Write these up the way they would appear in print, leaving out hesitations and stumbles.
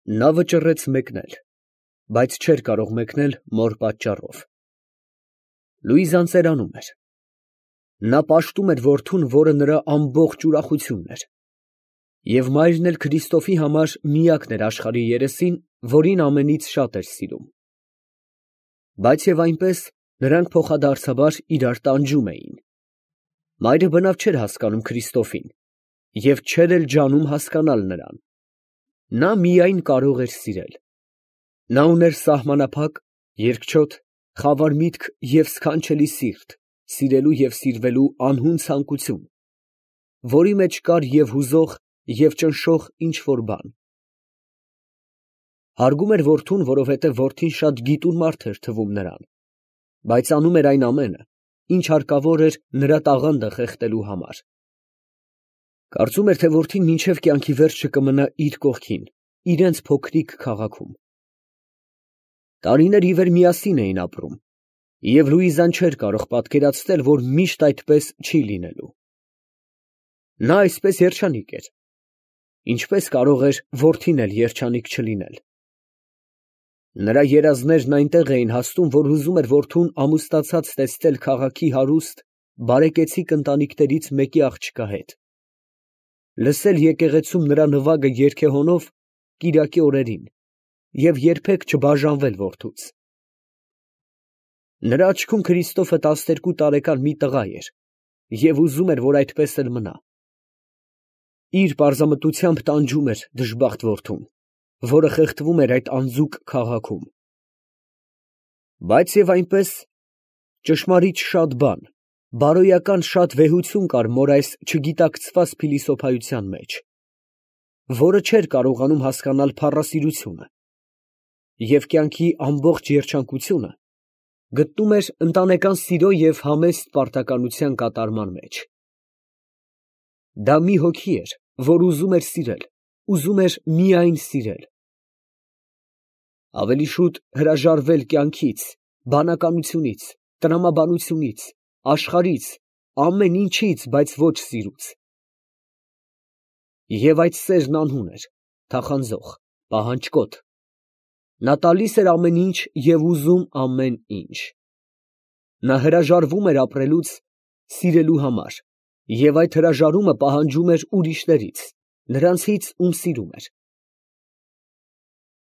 Նա վճռեց մեկնել, բայց չէր կարող մեկնել մոր պատճառով։ Լուիզան ծերանում էր։ Նա պաշտում էր որդուն, որը նրա ամբողջ ուրախությունն էր, և մայրն էլ Քրիստոֆի համար միակն էր աշխարհի երեսին, որին ամենից շատ էր սիրում։ Բայց և այնպես նրանք փոխադարձաբար իրար տանջում էին։ Մայրը բնավ չէր հասկանում Քրիստոֆին և չէր էլ ջանում հասկանալ նրան։ Նա միայն կարող էր սիրել։ Նա ուներ սահմանափակ, երկչոտ, խավար միտք և սքանչելի սիրտ, սիրելու և սիրվելու անհուն ցանկություն, որի մեջ կար և հուզող, և ճնշող ինչ֊որ բան։ Հարգում էր որդուն, որովհետև որդին շատ գիտուն մարդ էր թվում նրան, բայց անում էր այն ամենը, ինչ հարկավոր էր նրա տաղանդը խեղդելու համար։ Կարծում էր, թե որդին մինչև կյանքի վերջը կմնա իր կողքին, իրենց փոքրիկ քաղաքում։ Տարիներ ի վեր միասին էին ապրում, և Լուիզան չէր կարող պատկերացնել, որ միշտ այդպես չի լինելու։ Նա այսպես երջանիկ էր, ինչպես կարող էր որդին էլ երջանիկ չլինել։ Նրա երազներն այնտեղ էին հասնում, որ ուզում էր որդուն ամուսնացած տեսնել քաղաքի հարուստ, բարեկեցիկ ընտանիքներից մեկի աղջկա հետ, լսել եկեղեցում նրա նվագը երգեհոնով կիրակի օրերին և երբեք չբաժանվել որդուց։ Նրա աչքում Քրիստոֆը 12 տարեկան մի տղա էր և ուզում էր, որ այդպես էլ մնա։ Իր պարզամտությամբ տանջում էր դժբախտ որդուն, որը խեղդվում էր այդ անձուկ քաղաքում։ Բայց և այնպես ճշմարիտ շատ բան, բարոյական շատ վեհություն կար մոր այս չգիտակցված փիլիսոփայության մեջ, որը չէր կարողանում հասկանալ փառասիրությունը և կյանքի ամբողջ երջանկությունը գտնում էր ընտանեկան սիրո և համեստ պարտականության կատարման մեջ։ Դա մի հոգի էր, որ ուզում էր սիրել, ուզում էր միայն սիրել։ Ավելի շուտ հրաժարվել կյանքից, բանականությունից, տրամաբանությունից, աշխարհից, ամեն ինչից, բայց ոչ սիրուց։ Եվ այդ սերն անհուն էր, թախանձող, պահանջկոտ։ Նա տալիս էր ամեն ինչ և ուզում ամեն ինչ։ Նա հրաժարվում էր ապրելուց սիրելու համար, և այդ հրաժարումը պահանջում էր ուրիշներից, նրանցից, ում սիրում էր։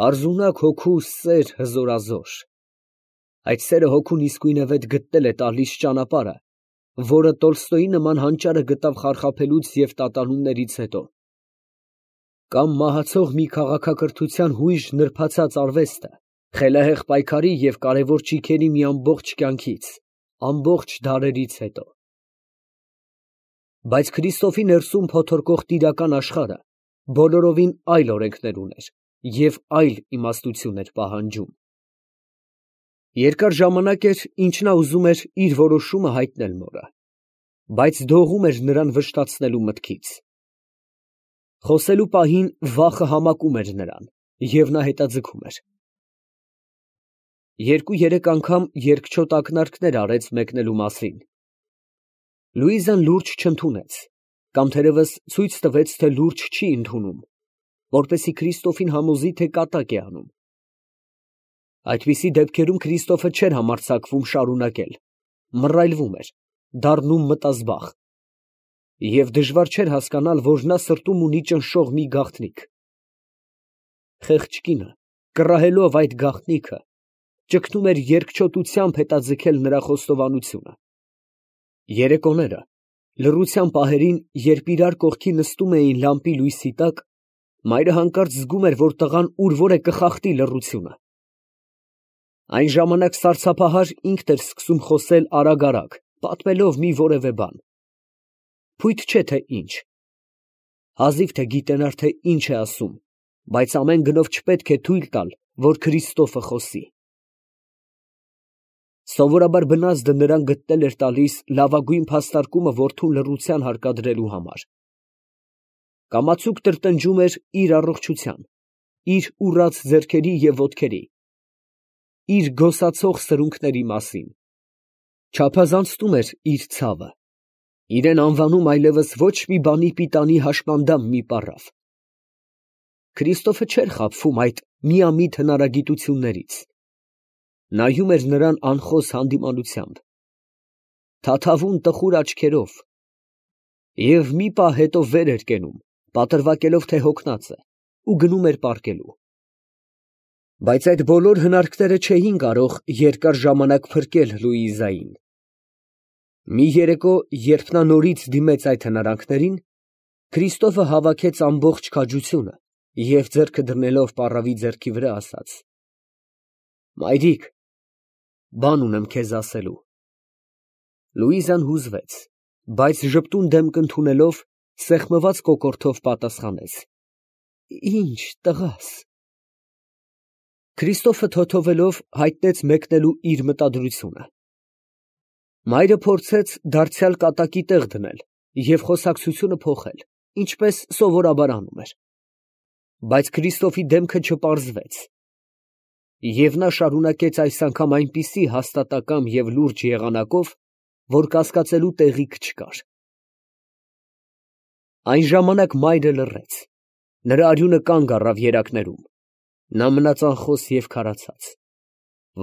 Պարզունակ հոգու սեր հզորազոր։ Այդ սերը հոգուն իսկույնևեթ գտնել է տալիս ճանապարհը, որը Տոլստոյի նման հանճարը գտավ խարխափելուց և տատանումներից հետո, կամ մահացող մի քաղաքակրթության հույժ նրբացած արվեստը, խելահեղ պայքարի և կարևոր ճիգերի մի ամբողջ կյանքից, ամբողջ դարերից հետո։ Բայց Քրիստոֆի ներսում փոթորկող տիրական աշխարհը բոլորովին այլ օրենքներ ուներ և այլ իմաստություն էր պահանջում։ Երկար ժամանակ էր, ինչ նա ուզում էր իր որոշումը հայտնել մորը, բայց դողում էր նրան վշտացնելու մտքից։ Խոսելու պահին վախը համակում էր նրան, և նա հետաձգում էր։ Երկու֊երեք անգամ երկչոտ ակնարկներ արեց մեկնելու մասին։ Լուիզան լուրջ չընդունեց, կամ թերևս ցույց տվեց, թե լուրջ չի ընդունում, որպեսզի Քրիստոֆին համոզի, թե կատակ է անում։ Այդպիսի դեպքերում Քրիստոֆը չէր համարձակվում շարունակել, մռայլվում էր, դառնում մտազբաղ, և դժվար չէր հասկանալ, որ նա սրտում ունի ճնշող մի գաղտնիք։ Խեղճ կինը, կռահելով այդ գաղտնիքը, ճգնում էր երկչոտությամբ հետաձգել նրա խոստովանությունը։ Երեկոները, լռության պահերին, երբ իրար կողքի նստում էին լամպի լույսի տակ, մայրը հանկարծ զգում էր, որ տղան ուր֊որ է կխախտի լռությունը։ Այն ժամանակ սարսափահար ինքն էր սկսում խոսել արագ, պատմելով մի որևէ բան։ Փույթ չէ, թե ինչ։ Հազիվ թե գիտենար, թե ինչ է ասում, բայց ամեն գնով չպետք է թույլ տալ, որ Քրիստոֆը խոսի։ Սովորաբար բնազդը նրան գտնել էր տալիս լավագույն փաստարկումը որդուն լռության հարկադրելու համար։ Կամացուկ տրտնջում էր իր առողջության, իր ուռած ձեռքերի և ոտքերի, իր գոսացող սրունքների մասին, չափազանցնում էր իր ցավը, իրեն անվանում այլևս ոչ մի բանի պիտանի հաշմանդամ մի պառավ։ Քրիստոֆը չէր խաբվում այդ միամիտ հնարագիտություններից, նայում էր նրան անխոս հանդիմանությամբ, թաթավուն տխուր աչքերով, և մի պահ հետո վեր էր կենում, պատրվակելով, թե հոգնած է, ու գնում էր պառկելու։ Բայց այդ բոլոր հնարքները չէին կարող երկար ժամանակ փրկել Լուիզային։ Մի երեկո, երբ նա նորից դիմեց այդ հնարանքներին, Քրիստոֆը հավաքեց ամբողջ քաջությունը և ձեռքը դնելով պառավի ձեռքի վրա ասաց. «Մայրիկ, բան ունեմ քեզ ասելու»։ Լուիզան հուզվեց, բայց ժպտուն դեմք ընդունելով, սեղմված կոկորդով պատասխանեց. «Ի՞նչ, տղաս»։ Քրիստոֆը թոթովելով հայտնեց մեկնելու իր մտադրությունը։ Մայրը փորձեց դարձյալ կատակի տեղ դնել և խոսակցությունը փոխել, ինչպես սովորաբար անում էր։ Բայց Քրիստոֆի դեմքը չպարզվեց, և նա շարունակեց այս անգամ այնպիսի հաստատակամ և լուրջ եղանակով, որ կասկածելու տեղիք չկար։ Այն ժամանակ մայրը լռեց, նրա արյունը կանգ առավ երակներում, նա մնաց անխոս և քարացած,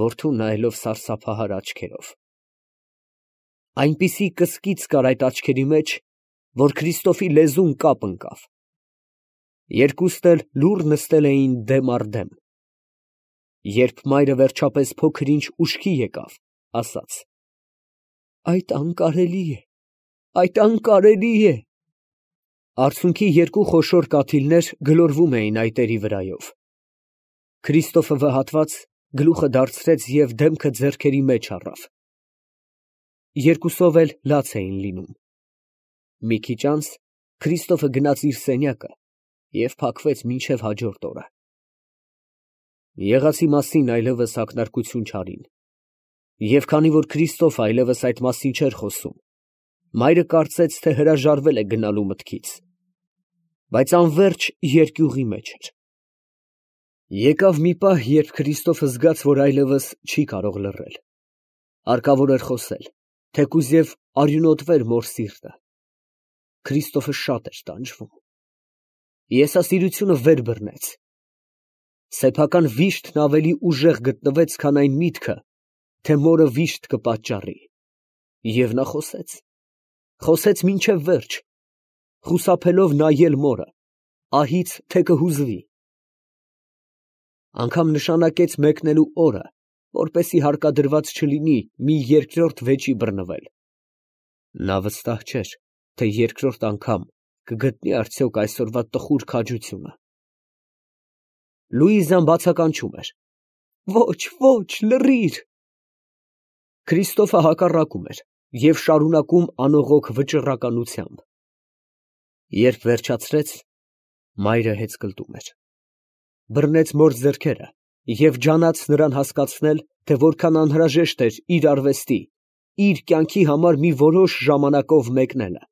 որդուն նայելով սարսափահար աչքերով։ Այնպիսի կսկիծ կար այդ աչքերի մեջ, որ Քրիստոֆի լեզուն կապ ընկավ։ Երկուսն էլ լուռ նստել էին դեմ առ դեմ։ Երբ մայրը վերջապես փոքր-ինչ ուշքի եկավ, ասաց. «Այդ անկարելի է, այդ անկարելի է»։ Արցունքի երկու խոշոր կաթիլներ գլորվում էին այտերի վրայով։ Քրիստոֆը վհատված գլուխը դարձրեց և դեմքը ձեռքերի մեջ առավ։ Երկուսով էլ լաց էին լինում։ Մի քիչ անց Քրիստոֆը գնաց իր սենյակը և փակվեց մինչև հաջորդ օրը։ Եղածի մասին այլևս ակնարկություն չարին, և քանի որ Քրիստոֆը այլևս այդ մասին չէր խոսում, մայրը կարծեց, թե հրաժարվել է գնալու մտքից, բայց անվերջ երկյուղի մեջ էր։ Եկավ մի պահ, երբ Քրիստոֆը զգաց, որ այլևս չի կարող լռել, հարկավոր էր խոսել, թեկուզ և արյունոտվեր մոր սիրտը։ Քրիստոֆը շատ էր տանջվում։ Եսասիրությունը վեր բռնեց։ Սեփական վիշտն ավելի ուժեղ գտնվեց, քան այն միտքը, թե մորը վիշտ կպատճառի, և նա խոսեց մինչև վերջ, խուսափելով նայել մորը, ահից թե կհուզվի։ Անգամ նշանակեց մեկնելու օրը, որպեսզի հարկադրված չլինի մի երկրորդ վեճի բռնվել։ Նա վստահ չէր, թե երկրորդ անգամ կգտնի արդյոք այսօրվա տխուր քաջությունը։ Լուիզան բացականչում էր. «Ոչ, ոչ, լռիր»։ Քրիստոֆը հակառակում էր և շարունակում անողոք վճռականությամբ։ Երբ վերջացրեց, մայրը հեծկլտում էր։ Բռնեց մոր ձեռքերը և ջանաց նրան հասկացնել, թե որքան անհրաժեշտ էր իր արվեստի, իր կյանքի համար մի որոշ ժամանակով մեկնելը։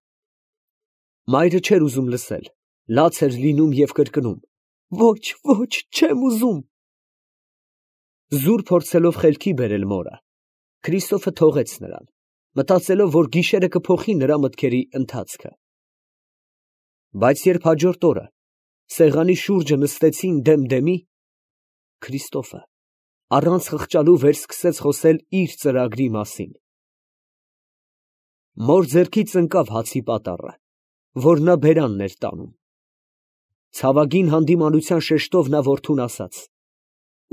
Մայրը չէր ուզում լսել, լաց էր լինում և կրկնում. «Ոչ, ոչ, չեմ ուզում»։ Զուր փորձելով խելքի բերել մորը, Քրիստոֆը թողեց նրան, մտածելով, որ գիշերը կփոխի նրա մտքերի ընթացքը։ Բայց երբ հաջորդ օրը սեղանի շուրջը նստեցին դեմ դեմի, Քրիստոֆը առանց խղճալու վերսկսեց խոսել իր ծրագրի մասին։ Մոր ձեռքից ընկավ հացի պատառը, որ նա բերանն էր տանում։ Ցավագին հանդիմանության շեշտով նա որդուն ասաց.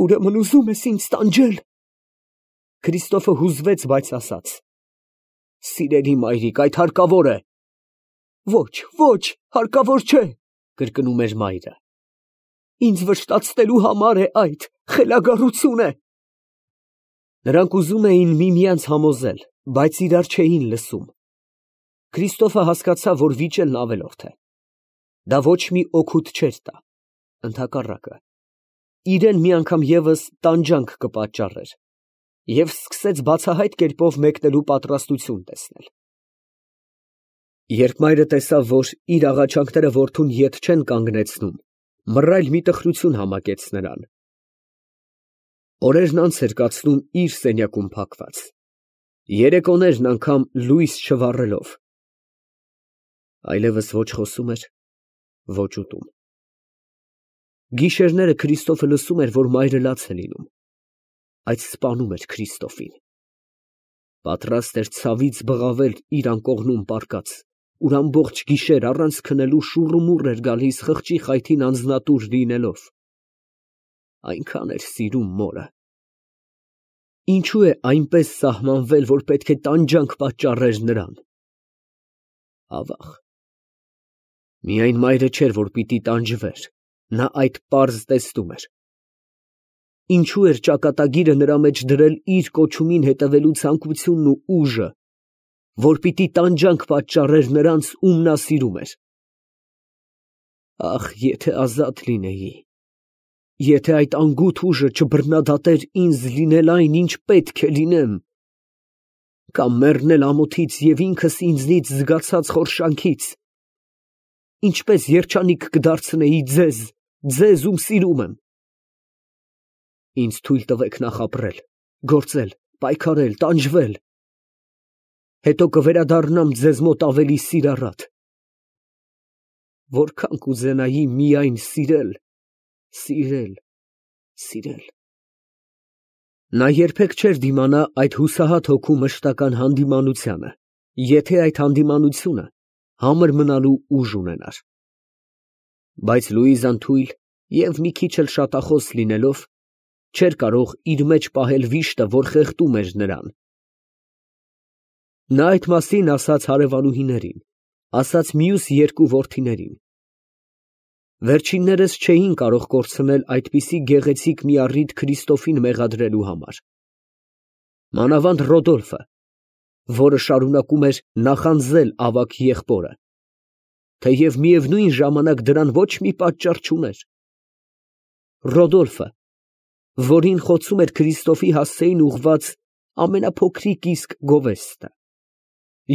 «Ուրեմն ուզում ես ինձ տանջել»։ Քրիստոֆը հուզվեց, բայց ասաց. «Սիրելի մայրիկ, այդ հարկավոր է»։ «Ոչ, ոչ, հարկավոր չէ», կրկնում էր մայրը։ «Ինձ վշտացնելու համար է այդ, խելագարություն է»։ Նրանք ուզում էին միմյանց համոզել, բայց իրար չէին լսում։ Քրիստոֆը հասկացավ, որ վիճելն ավելորդ է։ Դա ոչ մի օգուտ չէր տա, ընդհակառակը, իրան մի անգամ ևս տանջանք կպատճառեր, և սկսեց բացահայտ կերպով մեկնելու պատրաստություն տեսնել։ Երբ մայրը տեսավ, որ իր աղաչանքները որդուն ետ չեն կանգնեցնում, մռայլ մի տխրություն համակեց նրան։ Օրերն անց էր կացնում իր սենյակում փակված, երեկոներն անգամ լույս չվառելով։ Այլևս ոչ խոսում էր, ոչ ուտում։ Գիշերները Քրիստոֆը լսում էր, որ մայրը լաց է լինում, այդ սպանում էր Քրիստոֆին։ Պատրաստ էր ցավից բղավել իր անկողնում պառկած, ուր ամբողջ գիշեր առանց քնելու շուռումուռ էր գալիս խղճի խայթին անձնատուր լինելով։ Այնքան էր սիրում մորը։ Ինչու է այնպես սահմանվել, որ պետք է տանջանք պատճառեր նրան։ Ավաղ։ Միայն մայրը չէր, որ պիտի տանջվեր, նա այդ պարզ տեսնում էր։ Ինչու էր ճակատագիրը նրա մեջ դրել իր կոչումին հետևելու ցանկությունն ու ուժը, որ պիտի տանջանք պատճառեր նրանց, ում նա սիրում էր։ Ախ, եթե ազատ լինեի, եթե այդ անգութ ուժը չբռնադատեր ինձ լինել այն, ինչ պետք է լինեմ, կամ մեռնել ամոթից և ինքս ինձնից զգացած խորշանքից, ինչպես երջանիկ կդարձնեի ձեզ, ում սիրում եմ։ Ինձ թույլ տվեք նախ ապրել, գործել, պայքարել, տանջվել, հետո կվերադառնամ ձեզ մոտ ավելի սիրառատ։ Որքան կուզենայի միայն սիրել։ Նա երբեք չէր դիմանա այդ հուսահատ հոգու մշտական հանդիմանությանը, եթե այդ հանդիմանությունը համր մնալու ուժ ունենար։ Բայց Լուիզան թույլ և մի քիչ էլ շատախոս լինելով, չէր կարող իր մեջ պահել վիշտը, որ խեղդում էր նրան։ Նա այդ մասին ասաց հարևանուհիներին, ասաց մյուս երկու որդիներին։ Վերջիններս չէին կարող կորցնել այդպիսի գեղեցիկ մի առիթ Քրիստոֆին մեղադրելու համար։ Մանավանդ Ռոդոլֆը, որը շարունակում էր նախանձել ավագ եղբորը, թեև միևնույն ժամանակ դրան ոչ մի պատճառ չուներ։ Ռոդոլֆը, որին խոցում էր Քրիստոֆի հասցեին ուղղված ամենափոքրիկ իսկ գովեստը,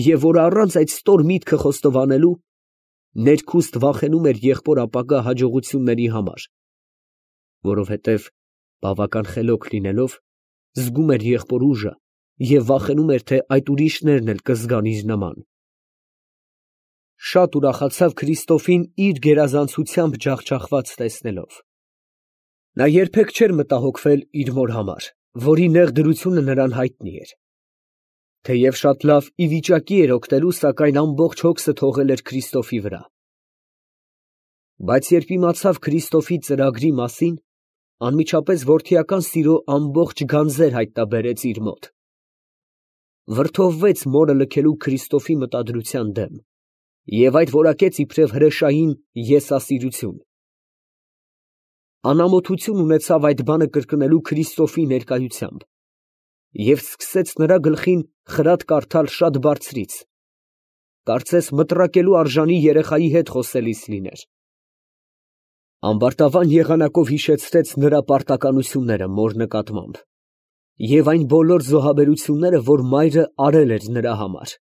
և որ առանց այդ ստոր միտքը խոստովանելու ներքուստ վախենում էր եղբոր ապագա հաջողությունների համար, որովհետև բավական խելոք լինելով, զգում էր եղբոր ուժը և վախենում էր, թե այդ ուրիշներն էլ կզգան իր նման։ Շատ ուրախացավ Քրիստոֆին իր գերազանցությամբ ջախջախված տեսնելով։ Նա երբեք չէր մտահոգվել իր մոր համար, որի նեղ դրությունը նրան հայտնի էր։ Թեև շատ լավ ի վիճակի էր օգնելու, սակայն ամբողջ հոգսը թողել էր Քրիստոֆի վրա։ Բայց երբ իմացավ Քրիստոֆի ծրագրի մասին, անմիջապես որդիական սիրո ամբողջ գանձեր հայտնաբերեց իր մոտ։ Վրդովվեց մորը լքելու Քրիստոֆի մտադրության դեմ և այդ որակեց իբրև հրեշային եսասիրություն։ Անամոթություն ունեցավ այդ բանը կրկնելու Քրիստոֆի ներկայությամբ և սկսեց նրա գլխին խրատ կարդալ շատ բարձրից, կարծես մտրակելու արժանի երեխայի հետ խոսելիս լիներ։ Ամբարտավան եղանակով հիշեցրեց նրա պարտականությունները մոր նկատմամբ և այն բոլոր զոհաբերությունները, որ մայրը արել էր նրա համար։